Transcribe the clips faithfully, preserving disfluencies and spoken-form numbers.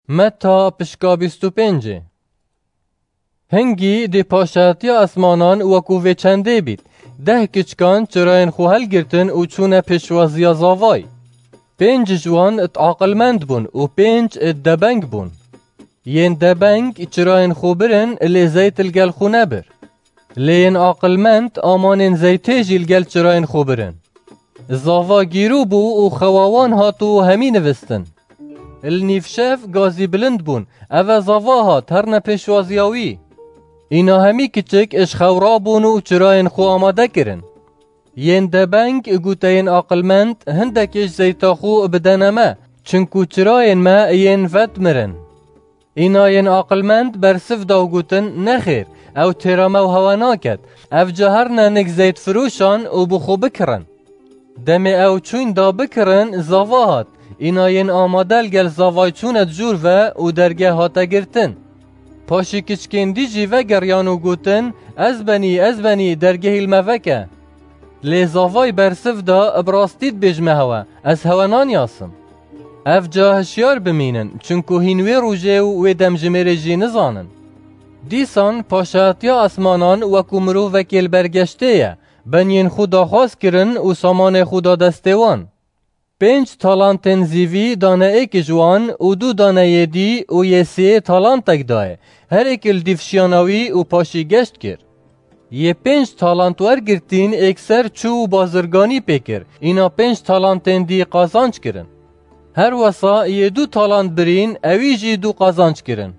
Meta pişka bîst û pêncê. Hingî dê paşayetiya esmanan wekû vê çendê bît. Deh kiçkan çirayên xwe helgirtin û çûne pêşwaziya zavay. Pênc ji wan aqilmend bûn û pênc debeng bûn. Yên debeng çirayên xwe birin, lê zeyt li gel xwe nebir. Lê yên aqilmend amanên zeytê jî li gel çirayên xwe birin. Zava gîrû bû û xewa wan hat û hemî nivistin. Li nîvşev gazî bilind bûn, eve zava hat herne pêşwaziya wî. Îna hemî kiçik ji xew rabûn û çirayên xwe amade kirin. Yên debeng goteyên aqilmend, hindekê ji zeyta xwe bidene me, çinku çirayên me yên vedmirin. Îna yên aqilmend bersiv da û gotin, nexêr, ew têra me û hewe naket, ev ca herne nik zeytfiroşan û bi xwe bikirin. Demê ew çûn da bikirin, zava hat. Îna yên amade li gel zavay çûne di jûr ve û dergeh hate girtin. Paşî kiçkên dî jî vegeriyan û gotin, ez benî, ez benî, dergehî li me veke. Lê zavay bersiv da, bi rastî dibêjime hewe, ez hewe nanyasim. Ev ca hişyar bimînin, çinku hîn wê rojê û wê demjimêrê jî nizanin. Dîsan paşayetiya esmanan wekû mirovekê li ber geştê ye, beniyên xwe daxwaz kirin û samanê xwe da destê wan. Pênc talantên zîvî dane êk ji wan û du dane yê dî û yê sê talantek daye, her êk li dîv şiyana wî û paşî geşt kir. Yê pênc talant wergirtîn êkser çû û bazirganî pê kir, îna pênc talantên dî qazanc kirin. Her wesa yê du talant birîn, ewî jî du qazanc kirin.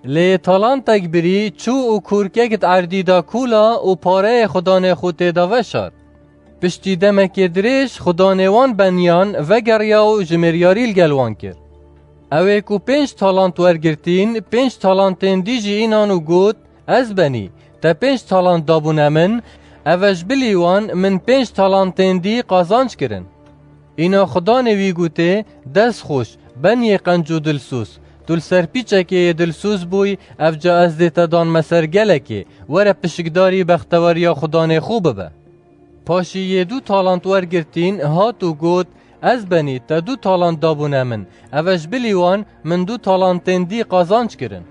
Lê talantek birî çû û kûrkek di erdî da kûla û pareyê xudanê xwe tê da veşart. Piştî demekê dirêj xudanê wan beniyan vegeriya û jimêryarî li gel wan kir. Ew ê ku pênc talant wergirtîn, pênc talantên dî jî înan û got, ez benî, te pênc talant dabûne min, eve ji bilî wan min pênc talantên dî qazanc kirin. Îna xudanê wî gotê, dest xweş, beniyê qenc û dilsoz, tu li ser pîçekê yê dilsoz bûyî, ev ca ez dê te danme ser gelekê, were pişikdarî bexteweriya xudanê xwe bibe. Paşî yê du talant wergirtîn hat û got, ez benî, te du talant dabûne min, eve ji bilî wan min du talantên dî qazanc kirin.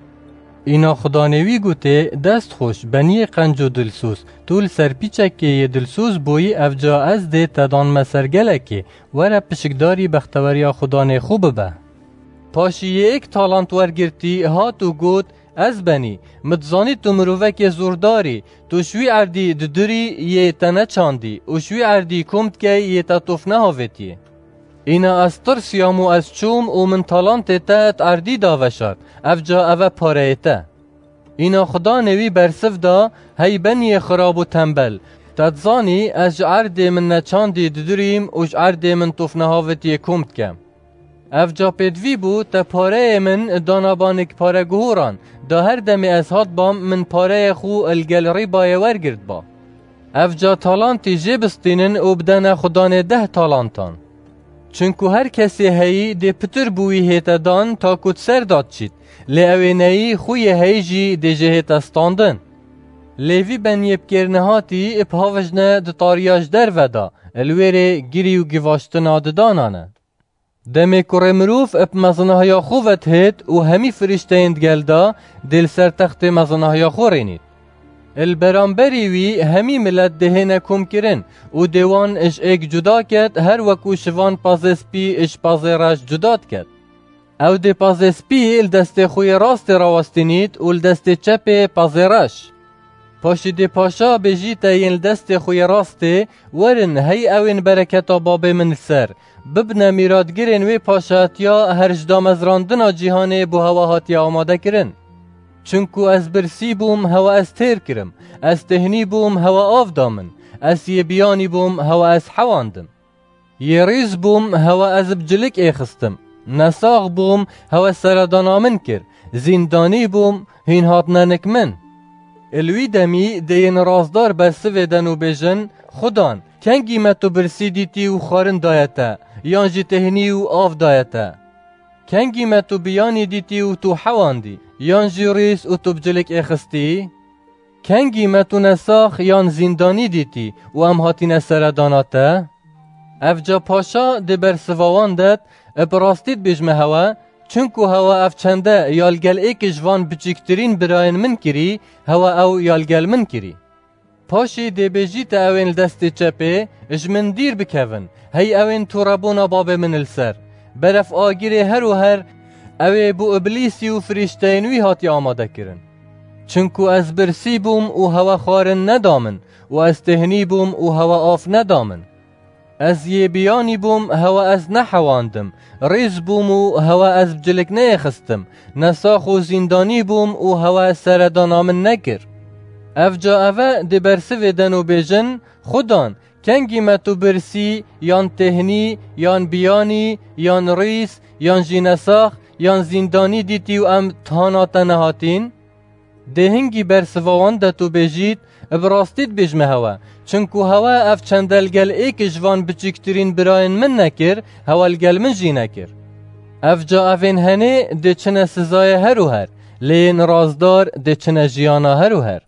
Îna xudanê wî gotê, dest xweş, beniyê qenc û dilsoz, tu li ser pîçekê yê dilsoz bûyî, ev ca ez dê te danme ser gelekê, were pişikdarî bexteweriya xudanê xwe bibe. Paşî yê êk talant wergirtî hat û got, ez benî, min dizanî tu mirovekê zordar î, tu ji wî erdî didurî yê te neçandî û ji wî erdî kom dikey yê te tof nehavêtiyê. Îna ez tirsiyam û ez çûm û min talantê te di erdî da veşart, ev ca eve pareyê te. Îna xudanê wî bersiv da, hey beniyê xirab û tembel, te dizanî ez ji erdê min neçandî didurîm û ji erdê min tof nehavêtiyê kom dikem. Ev ca pêdivî bû, te pareyê min dana ba nik pareguhoran, da her demê ez hatbam min pareyê xwe li gel rîbayê wergirtba. Ev ca talantî jê bistînin û bidene xudanê deh talantan. Çinku her kesê heyî dê pitir bi wî hête dan ta ku di ser da diçît, lê ew ê neyî xwe yê heyî jî dê jê hête standin. Lê vî beniyê bi kêr nehatî bi havijne di tariya ji derve da, li wêrê girî û givaştina didanan e. Demê kurê mirov bi mezinahiya xwe ve dihêt û hemî firîşteyên digel de dê li ser textê mezinahiya xwe rênît. Li beramberî wî hemî milet dê hêne komkirin û dê wan ji êk cuda ket, her wekû şivan pazê spî ji pazê reş cuda diket. Ew dê pazê spî li destê xwe yê rastê rawestînît û li destê çepê pazê reş. Paşî dê paşa bêjîte yên li destê xwe yê rastê, werin, hey ew ên bereketa babê min li ser, bibine mîratgirên wê paşatiya her ji damezrandina cîhanê bo hewa hatiye amade kirin. Çinku ez birsî bûm, hewa ez têr kirim, ez têhnî bûm, hewa av da min, ez yê biyanî bûm, hewa ez hewandim. Yê rîz bûm, hewa ez bi cilik êxistim. Nesax bûm, hewa seredana min kir. Zîndanî bûm, hîn hatine nik min. Li wî demî dê yên razdar bersivê den û bêjin, Xudan, kengî me tu birsî dîtî û xwarin daye te, yan jî têhnî û av daye te? Kengî me tu biyanî dîtî û tu hewandî, yan jî rîz û tu bi cilik êxistî? Kengî me tu nesax yan zîndanî dîtî û em hatîne seredana te? Ev ca paşa dê bersiva wan det, bi rastî dibêjime hewe, Çinku hewa ev çende ya li gel êkê ji van biçîktirîn birayên min kirî, hewa ew ya li gel min kirî. Paşî dê bêjîte ewên li destê çepê, ji min dîr bikevin, hey ewên tûrebûna babê min li ser. Beref agirê her û her, ew ê bo Iblîsî û firîşteyên wî hatiye amade kirin. Çinku ez birsî bûm û hewe xwarin neda min û ez têhnî bûm û hewe av neda min. Ez yê biyanî bûm, hewe ez nehewandim, rîz bûm û hewe ez bi cilik neyêxistim, nesax û zîndanî bûm û hewe seredana min nekir. Evca eve dê bersivê den û bêjin, Xudan, kengî me tu birsî, yan têhnî, yan biyanî, yan rîz, yan jî nesax, yan zîndanî dîtî û em thana te nehatîn? Dê hingî bersiva wan de tu bêjît, Bi rastî dibêjme hewe, çinku hewe ev çende li gel êkê ji van biçîktirîn birayên min nekir, hewe li gel min jî nekir. Evca evên henê dê çine sizayê her û her, lê yên rastdar dê çine jiyana her û her.